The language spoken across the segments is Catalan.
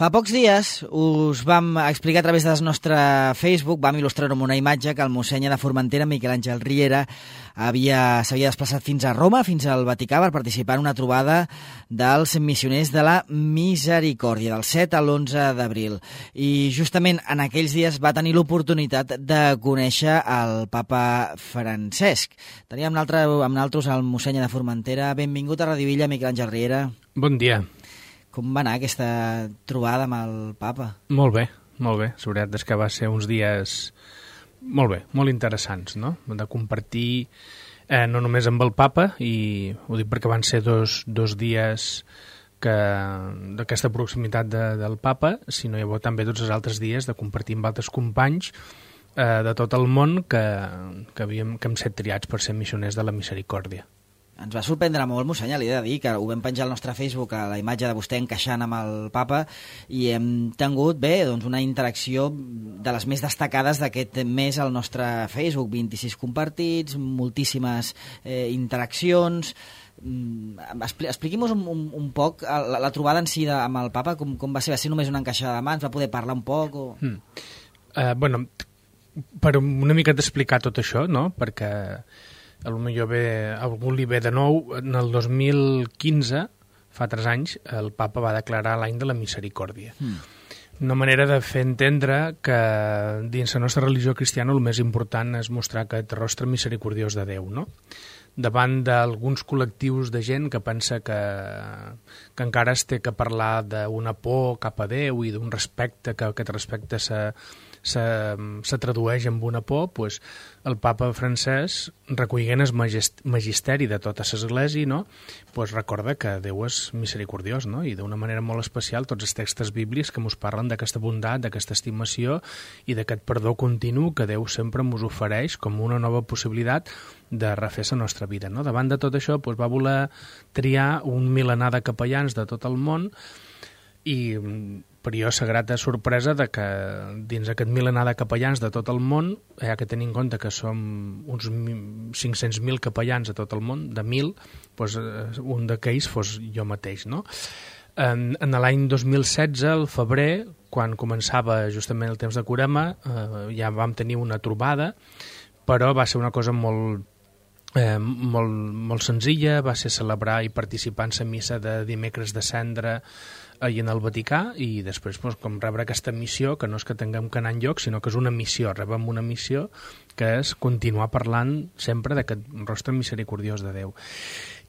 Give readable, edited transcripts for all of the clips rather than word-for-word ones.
Fa pocs dies us vam explicar a través del nostre Facebook, vam il·lustrar-ho amb una imatge que el mossèn de Formentera, Miquel Àngel Riera, s'havia desplaçat fins a Roma, fins al Vaticà, per participar en una trobada dels missioners de la Misericòrdia, del 7 a l'11 d'abril. I justament en aquells dies va tenir l'oportunitat de conèixer el papa Francesc. Teníem amb nosaltres el mossèn de Formentera. Benvingut a Radio Villa, Miquel Àngel Riera. Bon dia. Com va anar aquesta trobada amb el papa? Molt bé, molt bé. La veritat és que va ser uns dies molt bé, molt interessants, no? De compartir no només amb el papa, i ho dic perquè van ser dos dies d'aquesta proximitat del papa, sinó llavors també tots els altres dies de compartir amb altres companys de tot el món que hem set triats per ser missioners de la Misericòrdia. Ens va sorprendre molt, mossèn, li he de dir, que ho vam penjar al nostre Facebook, a la imatge de vostè encaixant amb el papa, i hem tingut una interacció de les més destacades d'aquest mes al nostre Facebook. 26 compartits, moltíssimes interaccions. Expliqui'm-nos un poc la trobada en si amb el papa, com va ser? Va ser només una encaixada de mans? Va poder parlar un poc? Bueno, per una mica d'explicar tot això, no? Perquè potser algú li ve de nou. En el 2015, fa 3 anys, el papa va declarar l'any de la Misericòrdia. Una manera de fer entendre que dins la nostra religió cristiana el més important és mostrar aquest rostre misericordiós de Déu, no? Davant d'alguns col·lectius de gent que pensa que encara es té que parlar d'una por cap a Déu i d'un respecte, que aquest respecte se tradueix amb una por, doncs el papa Francesc, recollint el magisteri de tota l'Església, no? Doncs recorda que Déu és misericordiós, no? I d'una manera molt especial tots els textos bíblics que ens parlen d'aquesta bondat, d'aquesta estimació i d'aquest perdó continu que Déu sempre ens ofereix com una nova possibilitat de refer la nostra vida, no? Davant de tot això doncs va voler triar un milenar de capellans de tot el món, i per jo la grata sorpresa de que dins aquest milenar de capellans de tot el món, ja que tenim en compte que som uns 500.000 capellans a tot el món, de 1.000, doncs un d'aquells fos jo mateix, no? En l'any 2016, al febrer, quan començava justament el temps de Carema, ja vam tenir una trobada, però va ser una cosa molt senzilla. Va ser celebrar i participar en la missa de dimecres de cendra i en el Vaticà, i després com rebre aquesta missió, que no és que tinguem que anar enlloc, sinó que és una missió, rebem una missió que és continuar parlant sempre d'aquest rostre misericordiós de Déu.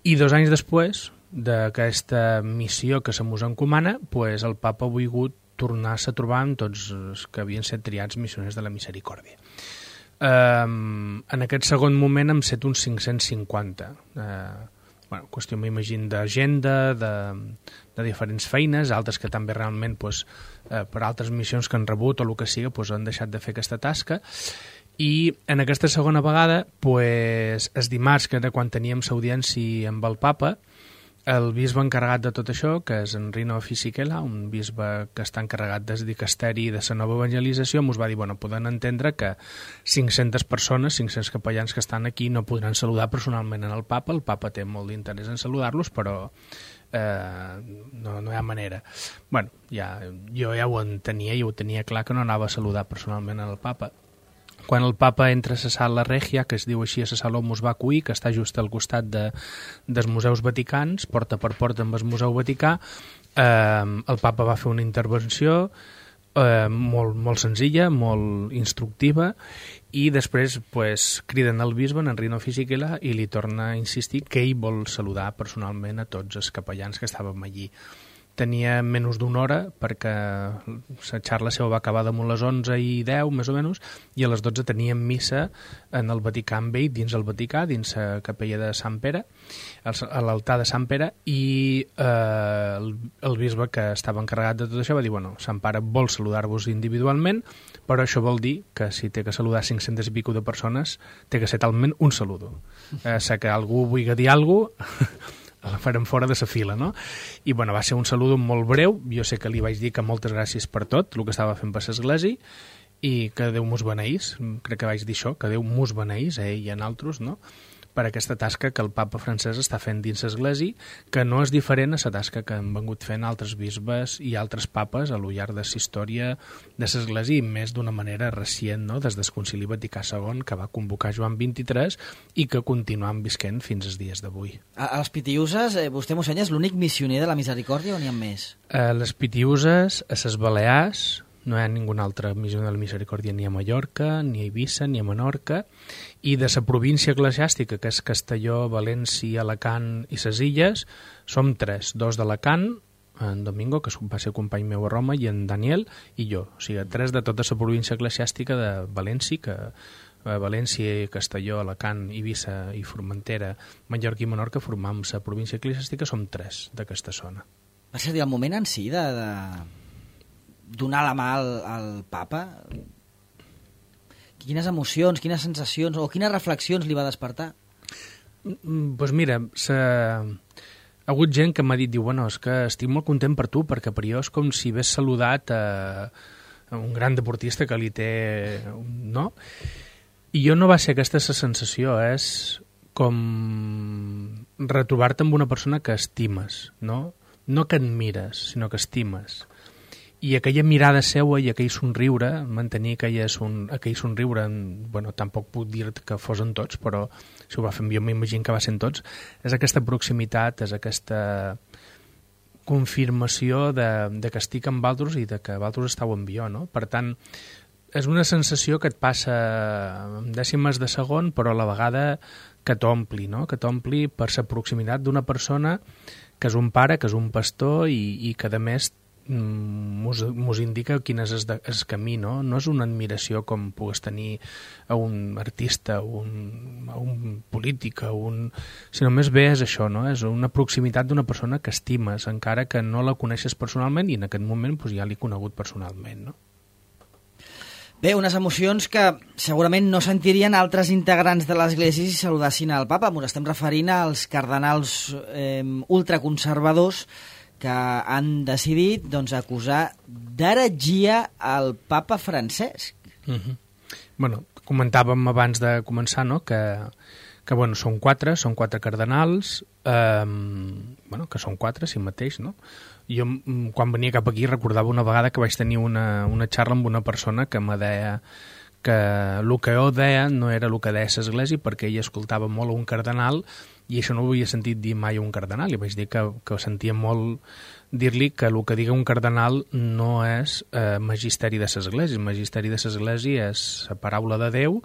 I 2 anys després d'aquesta missió que se mos encomana, doncs el papa ha volgut tornar-se a trobar amb tots els que havien set triats missioners de la Misericòrdia. En aquest segon moment hem set uns 550. Qüestió, m'imagino, d'agenda, de diferents feines, altres que també realment per altres missions que han rebut o el que sigui han deixat de fer aquesta tasca. I en aquesta segona vegada, el dimarts, que era quan teníem l'audiència amb el papa, el bisbe encarregat de tot això, que és en Rino Fisichella, un bisbe que està encarregat del dicasteri de la nova evangelització, ens va dir, poden entendre que 500 persones, 500 capellans que estan aquí no podran saludar personalment en el papa té molt d'interès en saludar-los, però no hi ha manera. Jo ja ho entenia i ho tenia clar que no anava a saludar personalment en el papa. Quan el papa entra a la sala Regia, que es diu així, a la sala Momus Vacui, que està just al costat dels museus vaticans, porta per porta amb el Museu Vaticà, el papa va fer una intervenció molt senzilla, molt instructiva, i després criden el bisbe, en Rino Fisichella, i li torna a insistir que ell vol saludar personalment a tots els capellans que estàvem allí. Tenia menys d'una hora, perquè la xarra seva va acabar damunt les 11:10, més o menys, i a les 12 teníem missa en el Vaticà amb ell, dins el Vaticà, dins la capella de Sant Pere, a l'altar de Sant Pere, i el bisbe que estava encarregat de tot això va dir, Sant Pare vol saludar-vos individualment, però això vol dir que si té que saludar 500 i pico de persones, té que ser talment un saludo. Si que algú vulgui dir alguna cosa, la farem fora de la fila, no? I va ser un saludo molt breu. Jo sé que li vaig dir que moltes gràcies per tot el que estava fent per l'Església i que Déu mos beneís. Crec que vaig dir això, que Déu mos beneís, a ell i a nosaltres, no? per aquesta tasca que el papa francès està fent dins l'Església, que no és diferent a la tasca que han vengut fent altres bisbes i altres papes a lo llarg de la història de l'Església, i més d'una manera recient, no? Des del Concili Vaticà II, que va convocar Joan XXIII i que continuem visquent fins als dies d'avui. A les Pitiuses, vostè, mossèn, és l'únic missioner de la misericòrdia o n'hi ha més? A les Pitiuses, a les Balears, no hi ha ningú altre missioner de la misericòrdia ni a Mallorca, ni a Eivissa, ni a Menorca, i de la província eclesiàstica, que és Castelló, València, Alacant i les Illes, som 3, 2 d'Alacant, en Domingo, que va ser company meu a Roma, i en Daniel, i jo. O sigui, 3 de tota la província eclesiàstica de València, que València, Castelló, Alacant, Eivissa i Formentera, Mallorca i Menorca formam la província eclesiàstica, som 3 d'aquesta zona. Va ser el moment en si de donar la mà al papa? Quines emocions, quines sensacions o quines reflexions li va despertar? Doncs mira, ha hagut gent que m'ha dit, diu, bueno, és que estic molt content per tu, perquè per jo és com si hagués saludat a un gran deportista que li té... no? I jo no va ser aquesta la sensació, és com retrobar-te amb una persona que estimes, no? No que admires, sinó que estimes. I aquella mirada seua i aquell somriure, mantenir aquell somriure, bueno, tampoc puc dir que fosen tots, però si ho va fer, jo m'imagino que va ser en tots, és aquesta proximitat, és aquesta confirmació de que estic amb altres i de que altres estàu amb jo, no? Per tant, és una sensació que et passa en dècimes de segon, però a la vegada que t'ompli, no? Que t'ompli per la proximitat d'una persona que és un pare, que és un pastor i que, a més, mos indica quin és el camí, no? No és una admiració com pugues tenir a un artista, a un polític, sinó més bé és això, no? És una proximitat d'una persona que estimes, encara que no la coneixes personalment, i en aquest moment doncs, ja l'he conegut personalment, no? Bé, unes emocions que segurament no sentirien altres integrants de l'Església si saludassin al papa. Ens estem referint als cardenals ultraconservadors que han decidit acusar d'heretgia al papa Francesc. Bueno, comentàvem abans de començar, no?, que bueno, són quatre cardenals, que són 4 si mateix, no? Jo, quan venia cap aquí, recordava una vegada que vaig tenir una xarra amb una persona que me deia que el que jo deia no era el que deia l'Església, perquè ell escoltava molt un cardenal i això no ho havia sentit dir mai un cardenal, i vaig dir que sentia molt dir-li que el que diga un cardenal no és magisteri de l'Església. El magisteri de l'Església és la paraula de Déu,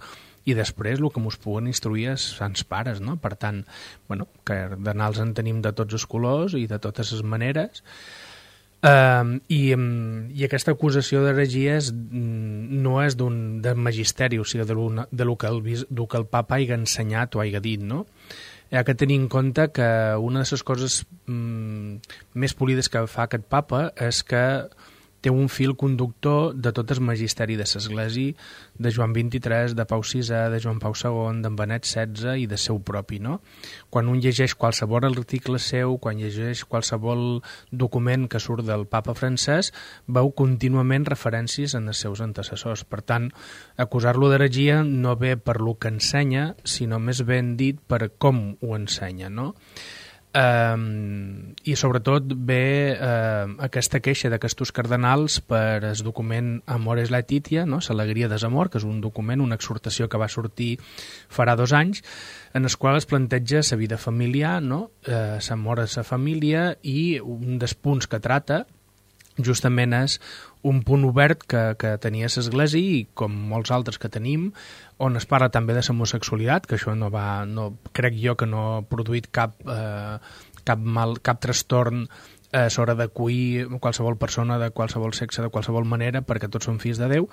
i després el que ens puguen instruir és sants pares, no? Per tant, bueno, cardenals en tenim de tots els colors i de totes les maneres, i aquesta acusació d'heregia no és de magisteri, o sigui, de lo que el papa hagi ensenyat o hagi dit, no? Hi ha que tenir en compte que una de les coses més polides que fa aquest papa és que té un fil conductor de tot el magisteri de l'Església, de Joan XXIII, de Pau VI, de Joan Pau II, d'en Benet XVI i de seu propi, no? Quan un llegeix qualsevol article seu, quan llegeix qualsevol document que surt del papa francès, veu contínuament referències en els seus antecessors. Per tant, acusar-lo d'heretgia no ve per lo que ensenya, sinó més ben dit per com ho ensenya, no? I sobretot ve aquesta queixa d'aquests cardenals per el document Amores Laetitia, no? L'Alegria desamor, que és un document, una exhortació que va sortir farà 2 anys, en el qual es planteja la vida familiar, no? L'amor a la família, i un dels punts que trata justament és un punt obert que tenia l'Església, i com molts altres que tenim, on es parla també de l'homosexualitat, que això crec jo que no ha produït cap trastorn a l'hora d'acollir qualsevol persona de qualsevol sexe, de qualsevol manera, perquè tots són fills de Déu,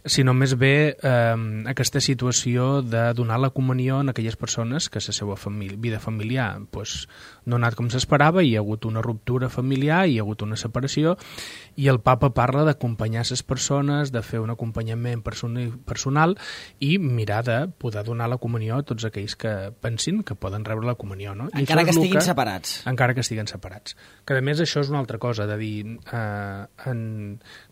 sinó més bé aquesta situació de donar la comunió a aquelles persones que la seva vida familiar no ha anat com s'esperava, hi ha hagut una ruptura familiar, hi ha hagut una separació, i el papa parla d'acompanyar les persones, de fer un acompanyament personal i mirar de poder donar la comunió a tots aquells que pensin que poden rebre la comunió, no? Encara que estiguin separats. Encara que estiguen separats. Que a més això és una altra cosa, de dir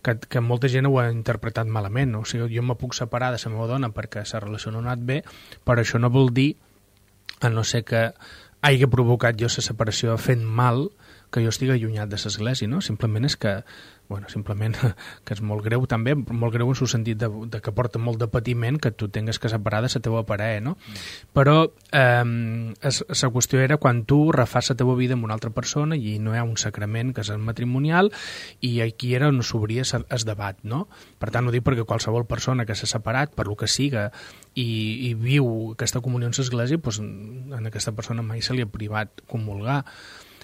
que molta gent ho ha interpretat malament, no? O sigui, jo me puc separar de la meva dona perquè la relació no ha anat bé, però això no vol dir a no ser que hagi provocat jo la separació fent mal, que jo estigui allunyat de l'església, no? Simplement és que, simplement que és molt greu també, molt greu en el sentit de que porta molt de patiment que tu tingues que separar de la teva parella, no? Però la qüestió era quan tu refas la teva vida amb una altra persona i no hi ha un sacrament que és el matrimonial, i aquí era on s'obria el debat, no? Per tant, ho dic perquè qualsevol persona que s'ha separat, per lo que siga, i viu aquesta comunió en l'església, doncs a aquesta persona mai se li ha privat comulgar.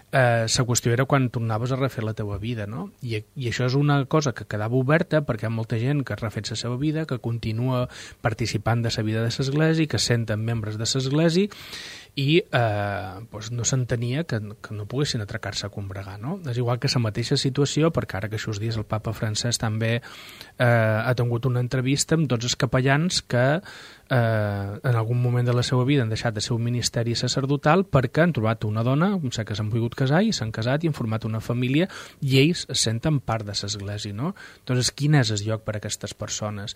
La qüestió era quan tornaves a refer la teva vida, no? I això és una cosa que quedava oberta perquè hi ha molta gent que ha refet la seva vida, que continua participant de la vida de l'església, que es senten membres de l'església, i no s'entenia que no poguessin atracar-se a combregar, no? És igual que la mateixa situació, perquè ara que aquests dies el papa francès també ha tingut una entrevista amb tots els capellans que en algun moment de la seva vida han deixat de ser un ministeri sacerdotal perquè han trobat una dona, sé que s'han volgut casar i s'han casat i han format una família i ells es senten part de l'església, no? Doncs quin és el lloc per a aquestes persones?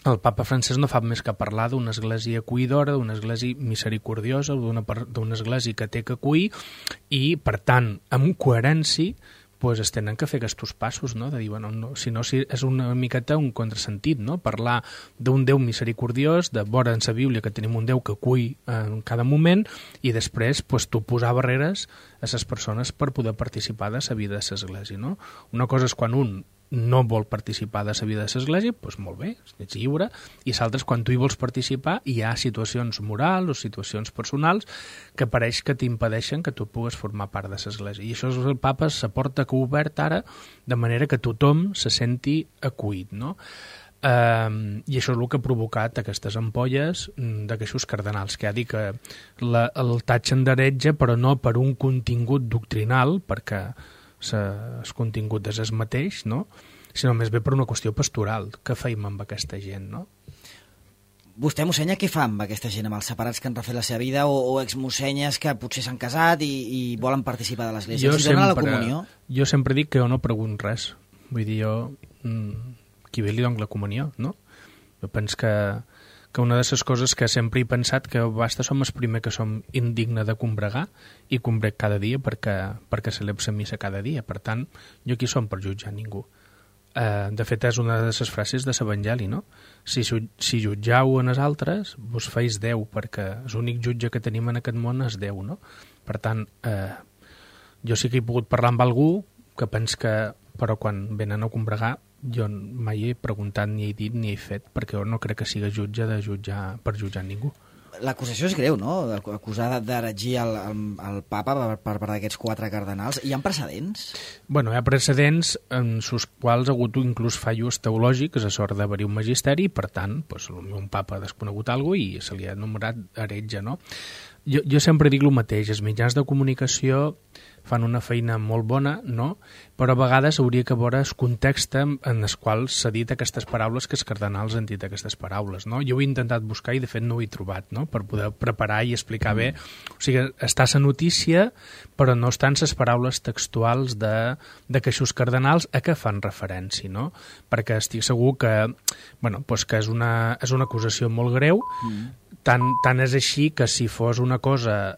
El papa francès no fa més que parlar d'una església acollidora, d'una església misericordiosa, d'una església que té que acollir i, per tant, amb coherència, es tenen que fer aquests passos, no? De dir, si no, és una miqueta un contrasentit, no? Parlar d'un Déu misericordiós, de veure en la Bíblia que tenim un Déu que acull en cada moment, i després tu posar barreres a les persones per poder participar de la vida de l'església, no? Una cosa és quan un no vol participar de la vida de l'església, doncs molt bé, ets lliure, i l'altre és quan tu hi vols participar i hi ha situacions morals o situacions personals que pareix que t'impedeixen que tu pugues formar part de l'església. I això és el papa, la porta que ha obert ara, de manera que tothom se senti acollit, no? I això és el que ha provocat aquestes ampolles d'aquests cardenals, que ha dit que el tatxen d'heretge, però no per un contingut doctrinal, perquè el contingut és el mateix, no? Sinó més bé per una qüestió pastoral. Què feim amb aquesta gent, no? Vostè, mossenya, què fa amb aquesta gent, amb els separats que han refet la seva vida o exmossenyes que potser s'han casat i volen participar de l'església? Si donen la comunió? Jo sempre dic que jo no pregunto res. Vull dir, qui ve li dono la comunió, no? Jo penso que una de les coses que sempre he pensat que basta som el primer que som indigne de combregar i combrec cada dia perquè celebro la missa cada dia. Per tant, jo aquí som per jutjar ningú. De fet, és una de les frases de l'Evangeli, no? Si jutjau en els altres, vos feis Déu, perquè l'únic jutge que tenim en aquest món és Déu, no? Per tant, jo sí que he pogut parlar amb algú que penso que, però quan venen a combregar, jo mai he preguntat, ni he dit, ni he fet, perquè jo no crec que sigui jutge per jutjar ningú. L'acusació és greu, no? Acusar d'heretgia el papa per part d'aquests 4 cardenals. Hi ha precedents? Bueno, hi ha precedents en els quals ha hagut inclús fallos teològics a sort d'haver-hi un magisteri, i per tant, un papa ha desconegut alguna cosa i se li ha anomenat heretge, no? Jo sempre dic el mateix, els mitjans de comunicació fan una feina molt bona, no? Però a vegades hauria que veure el context en el qual s'ha dit aquestes paraules, que els cardenals han dit aquestes paraules, no? Jo ho he intentat buscar i de fet no ho he trobat, no? Per poder preparar i explicar bé. O sigui, està la notícia, però no estan les paraules textuals de que aquests cardenals a què fan referència, no? Perquè estic segur que, que és una acusació molt greu. Tant és així que si fos una cosa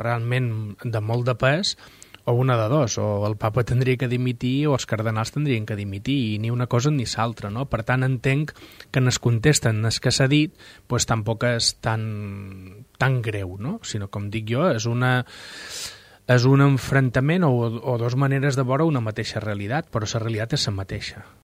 realment de molt de pes, o una de dos, o el papa tindria que dimitir o els cardenals tindrien que dimitir, i ni una cosa ni l'altra, no? Per tant, entenc que en es contesten el que s'ha dit, doncs tampoc és tan greu, no? Sinó, com dic jo, és un enfrontament o dues maneres de veure una mateixa realitat, però la realitat és la mateixa.